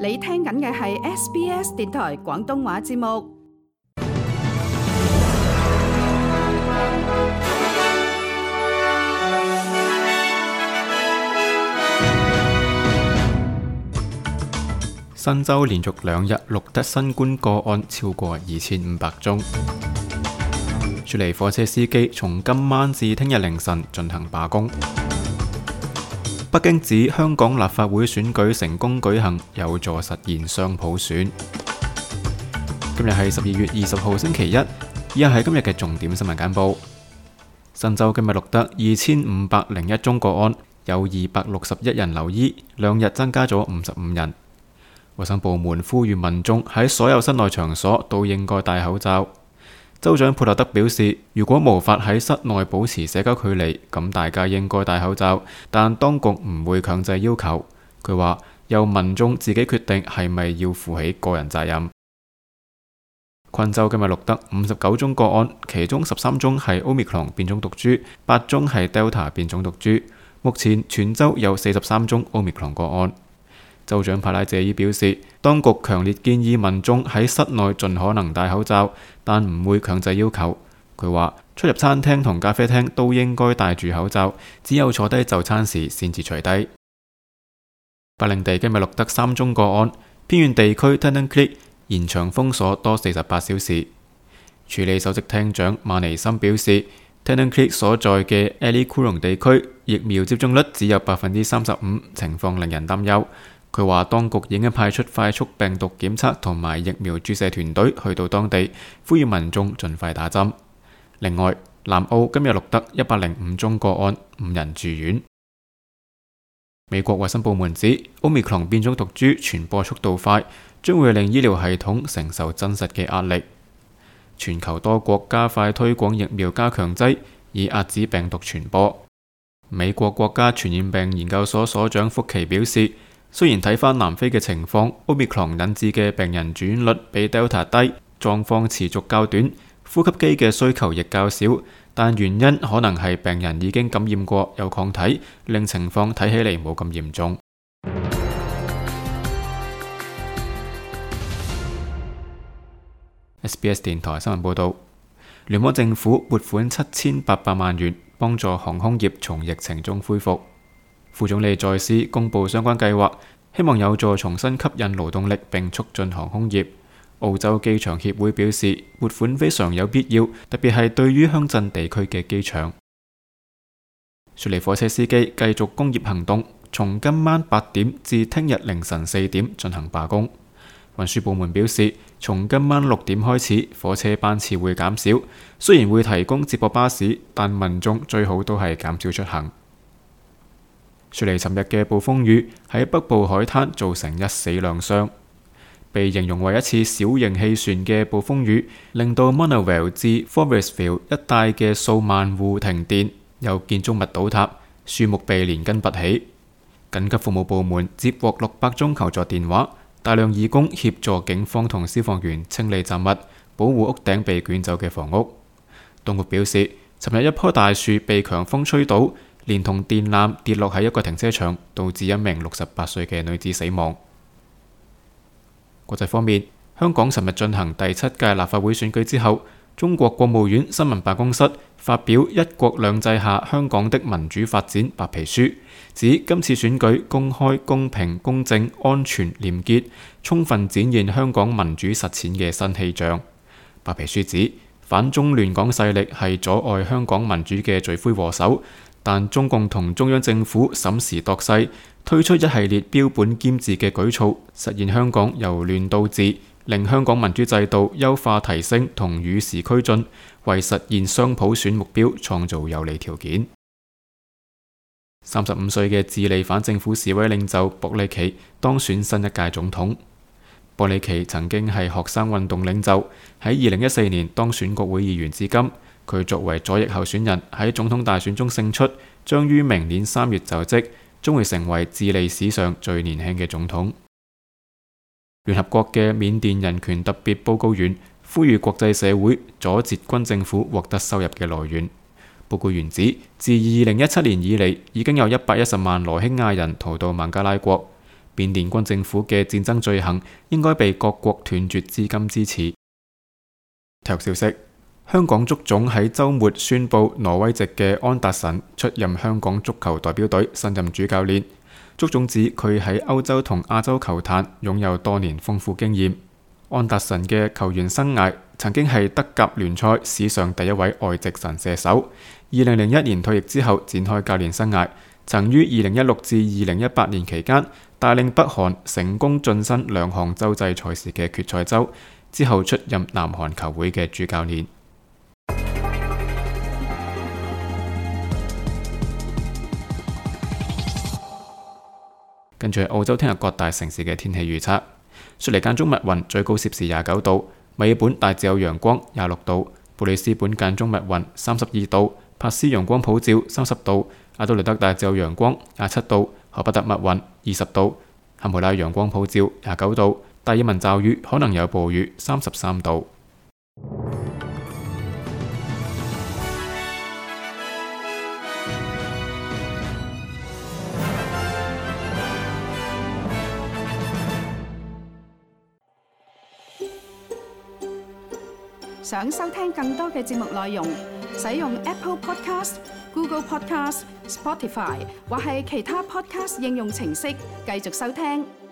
你聽緊嘅係 SBS 電台廣東話節目。新州連續2日錄得新冠個案超過2500宗。雪梨火車司機從今晚至聽日凌晨進行罷工。北京指香港立法會選舉成功舉行，有助實現雙普選。今日係12月20號星期一，以下係今日嘅重點新聞簡報。新州今日錄得2501宗個案，有261人留醫，2日增加咗55人。衛生部門呼籲民眾喺所有室內場所都應該戴口罩。州長佩洛德表示，如果無法喺室內保持社交距離，咁大家應該戴口罩，但當局唔會強制要求。佢話由民眾自己決定係咪要負起個人責任。昆州今日錄得59宗個案，其中13宗係 Omicron 變種毒株，8宗係 Delta 變種毒株。目前全州有43宗 Omicron 個案。州長帕拉謝伊表示，當局強烈建議民眾喺室內盡可能戴口罩，但唔會強制要求。佢話出入餐廳同咖啡廳都應該戴住口罩，只有坐低就餐時先至除低。北領地今日錄得3宗個案，偏遠地區 Tennant Creek 延長封鎖多48小時。處理首席廳長馬尼森表示，Tennant Creek 所在嘅 Ali Coorong 地區疫苗接種率只有35%，情況令人擔憂。佢話當局已經派出快速病毒檢測同埋疫苗注射團隊去到當地，呼籲民眾盡快打針。另外，南澳今日錄得105宗個案，5人住院。美國衛生部門指 Omicron 變種毒株傳播速度快，將會令醫療系統承受真實嘅壓力。全球多國加快推廣疫苗加強劑，以遏止病毒傳播。美國國家傳染病研究所所長福奇表示，雖然睇返南非嘅情況 ，Omicron 引致嘅病人住院率比 Delta 低，狀況持續較短，呼吸機嘅需求亦較少，但原因可能係病人已經感染過有抗體，令情況睇起嚟冇咁嚴重。SBS 電台新聞報導，聯邦政府撥款7800萬元幫助航空業從疫情中恢復。副總理在斯公布相關計劃，希望有助重新吸引勞動力並促進航空業。澳洲機場協會表示，撥款非常有必要，特別係對於鄉鎮地區嘅機場。雪梨火車司機繼續工業行動，從今晚8點至聽日凌晨4點進行罷工。運輸部門表示，從今晚6點開始，火車班次會減少，雖然會提供接駁巴士，但民眾最好都係減少出行。雪梨尋日嘅暴風雨喺北部海灘造成1死2傷，被形容為一次小型氣旋嘅暴風雨，令到 Monavale 至 Forestville 一帶嘅數萬戶停電，有建築物倒塌，樹木被連根拔起。緊急服務部門接獲600宗求助電話，大量義工協助警方同消防員清理雜物，保護屋頂被捲走嘅房屋。當局表示，尋日一棵大樹被強風吹倒，連同電纜跌落喺一個停車場，導致一名68歲嘅女子死亡。國際方面，香港尋日進行第7屆立法會選舉之後，中國國務院新聞辦公室發表《一國兩制下香港的民主發展白皮書》，指今次選舉公開、公平、公正、安全、廉潔，充分展現香港民主實踐嘅新氣象。白皮書指，反中亂港勢力係阻礙香港民主嘅罪魁禍首，但中共同中央政府審時度勢，推出一系列標本兼治嘅舉措，實現香港由亂到治，令香港民主制度優化提升同與時俱進，為實現雙普選目標創造有利條件。35歲嘅智利反政府示威領袖博里奇當選新一屆總統。博里奇曾經係學生運動領袖，喺2014年當選國會議員至今。佢作為左翼候選人喺總統大選中勝出，將於明年3月就職，將會成為智利史上最年輕嘅總統。聯合國嘅緬甸人權特別報告員呼籲國際社會阻截軍政府獲得收入嘅來源。報告員指，自2017年以嚟，已經有110萬羅興亞人逃到孟加拉國，緬甸軍政府嘅戰爭罪行應該被各國斷絕資金支持。體育消息：香港足總喺週末宣布挪威籍嘅安達臣出任香港足球代表隊新任主教練。足總指佢喺歐洲同亞洲球壇擁有多年豐富經驗。安達臣嘅球員生涯曾經係德甲聯賽史上第一位外籍神射手。2001年退役之後展開教練生涯，曾於2016至2018年期間帶領北韓成功晉身兩項洲際賽事嘅決賽周，之後出任南韓球會嘅主教練。跟住係澳洲聽日各大城市嘅天氣預測：雪梨間中密雲，最高攝氏29度；墨爾本大致有陽光，26度；布里斯本間中密雲，32度；珀斯陽光普照，30度；阿德萊德大致有陽光，27度；荷伯特密雲，20度；坎培拉陽光普照，29度；達爾文驟雨可能有暴雨，33度。想收聽更多嘅節目內容，使用 Apple Podcast、Google Podcast、Spotify 或係其他 Podcast 應用程式繼續收聽。